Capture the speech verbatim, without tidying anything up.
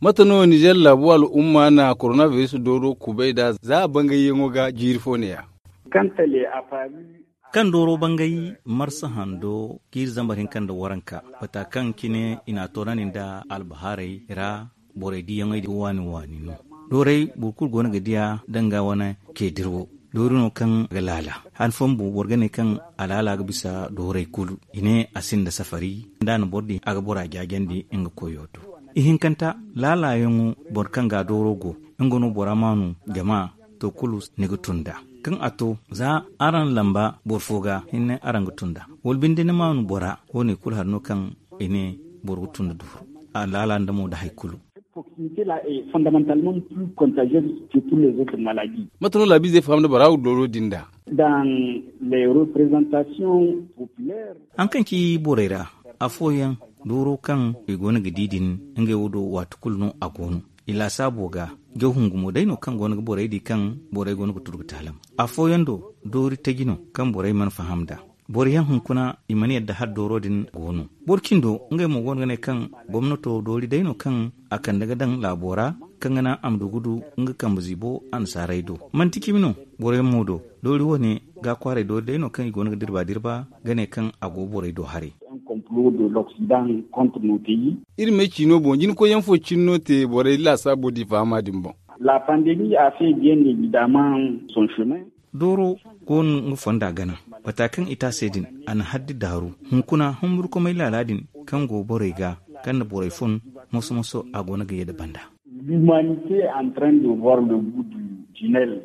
Mate no nizer laabu al'umma na korona biris dooro kubay nd'a za a bangayyaŋo ga jiiri fo neeya? Kaŋ dooro bangay marsa hando, jiiri zambar hinka nda waranka, bata kaŋ cine i n'a toorandi nda albahaarey ra. Borey diiyaŋey din waani waani no. Dooray boro kulu go no ga diya danga wane keedir wo. Doori no kaŋ ga laala han fooyaŋ bumbo boro ga ne kaŋ a laala ga bisa dooray kulu. I ne a sinda safari nda a na boro din a ga bora jaajandi nga koyo do. Ihinkanta, laalayaŋo boro kaŋ ga dooro go, nga no bora maanu jama to kulu ni ga tun nd'a. Kaŋ a to, za araŋ lamba boro fo ga hinne araŋ ga tun nd'a. Wala binde ni maanu bora, wo- ne kulu hari no kaŋ i ne boro ga tun nda duuru. A laala nda mo nda hari kulu. Mate no laabiizey fahamndi bora wo dooro din nd'a? Haŋ kaŋ ci borey ra, afooyaŋ dooro kaŋ i go no ga di din, ngey wo do waati kulu no a go no. I laasaabo ga jaw hungu mo day no kaŋ go no ga borey di kaŋ borey go no ga turu ga taalam. Afooyaŋ do, doori taji no kaŋ borey mana faham nd'a. Boro yaŋ hunkuna i mana yadda hala dooro din go no. Boro cindo, ngey mo go no ga ne kaŋ gomnato doori day no kaŋ a kande ga daŋ laabo ra, kaŋ ga naŋ a ma du ga du nga kambe ziibo annasaarey do. Manti cimi no, boro yaŋ mo do, doori wo- ne ga kwaaray doori day no kaŋ i go no ga dirba dirba ga ne kaŋ a go borey do haray. Iri may ciino boŋ jinkoyyaŋ fo cine no te borey laasaabo di fahama din boŋ. Dooro go no nga fonda gana. Bata kaŋ i te a se din, a na haddi daaru. Hunkuna humburkumay laala din kaŋ go borey ga, kaŋ na borey fun, moso moso a go no ga ye nda banda. Limanite antrend de voir le bout du tinel.